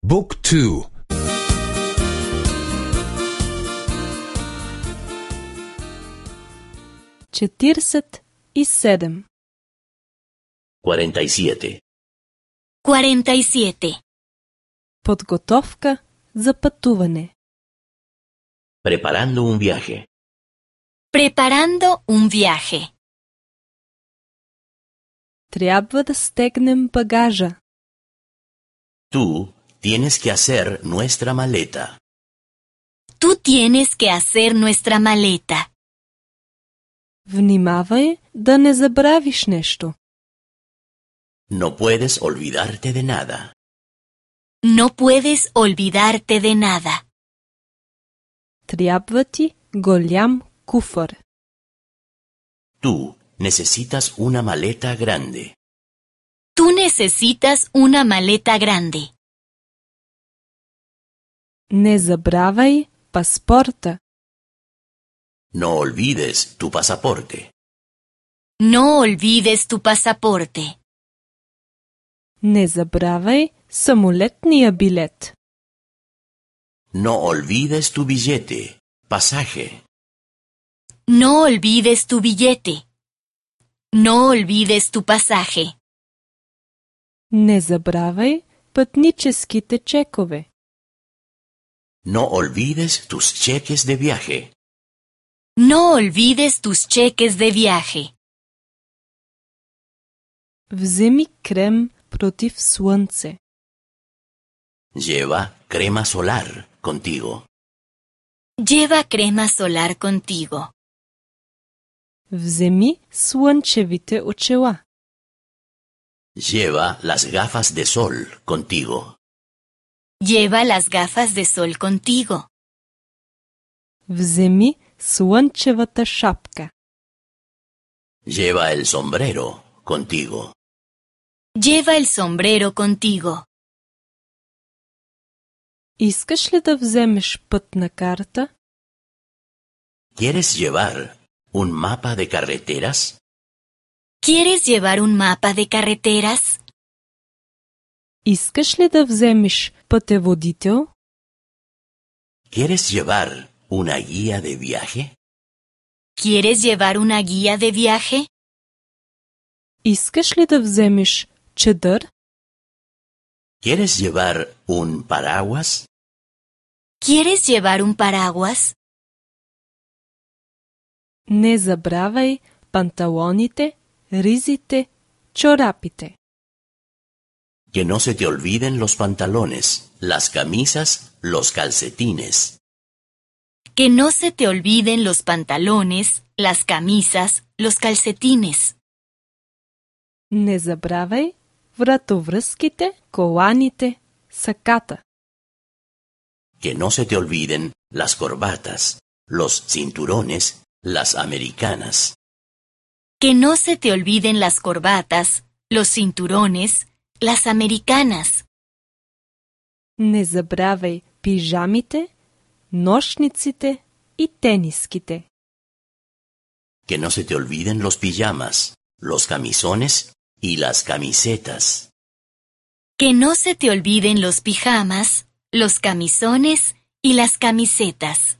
Book 2. 47. 47. 47. Подготовка за пътуване. Preparando un viaje. Preparando un viaje. Трябва да стегнем багажа. Tú tienes que hacer nuestra maleta. Tú tienes que hacer nuestra maleta. Внимавай да не забравиш нещо. No puedes olvidarte de nada. No puedes olvidarte de nada. Трябва ти голям куфър. Tú necesitas una maleta grande. Tú necesitas una maleta grande. Не забравяй паспорта. No olvides tu pasaporte. No olvides tu pasaporte. Не забравяй самолетния билет. No olvides tu billete, pasaje. No olvides tu billete. No olvides tu pasaje. Не забравяй пътническите чекове. No olvides tus cheques de viaje. No olvides tus cheques de viaje. Вземи крем против слънце. Lleva crema solar contigo. Lleva crema solar contigo. Вземи слънчевите очила. Lleva las gafas de sol contigo. Lleva las gafas de sol contigo. Вземи слънчевата шапка. Lleva el sombrero contigo. Lleva el sombrero contigo. Искаш ли да вземеш пътна карта? ¿Quieres llevar un mapa de carreteras? ¿Quieres llevar un mapa de carreteras? Искаш ли да вземеш пътеводител? ¿Quieres llevar una guía de viaje? ¿Quieres llevar una guía de viaje? Искаш ли да вземеш чадър? ¿Quieres llevar un paraguas? ¿Quieres llevar un paraguas? Не забравяй панталоните, ризите, чорапите. Que no se te olviden los pantalones, las camisas, los calcetines. Que no se te olviden los pantalones, las camisas, los calcetines. Не забравяй вратовръзките, коланите, саката. Que no se te olviden las corbatas, los cinturones, las americanas. Que no se te olviden las corbatas, los cinturones, las americanas. Не забравяй пижамите, нощниците и тениските. Que no se te olviden los pijamas, los camisones y las camisetas. Que no se te olviden los pijamas, los camisones y las camisetas.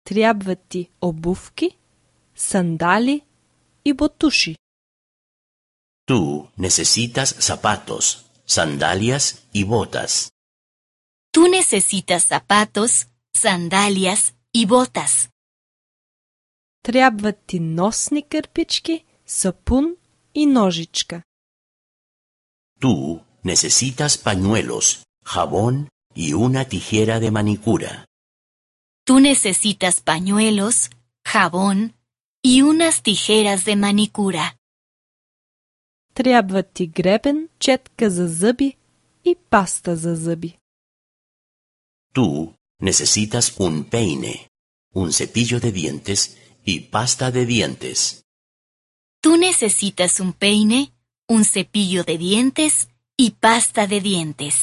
Трябват ти обувки, сандали и ботуши. Tú necesitas zapatos, sandalias y botas. Tú necesitas zapatos, sandalias y botas. Трябват ти носни кърпички, сапун и ножичка. Tú necesitas pañuelos, jabón y una tijera de manicura. Tú necesitas pañuelos, jabón y unas tijeras de manicura. Трябват ти гребен, четка за зъби и паста за зъби. Tú necesitas un peine, un cepillo de dientes y pasta de dientes. Tú necesitas un peine, un cepillo de dientes y pasta de dientes.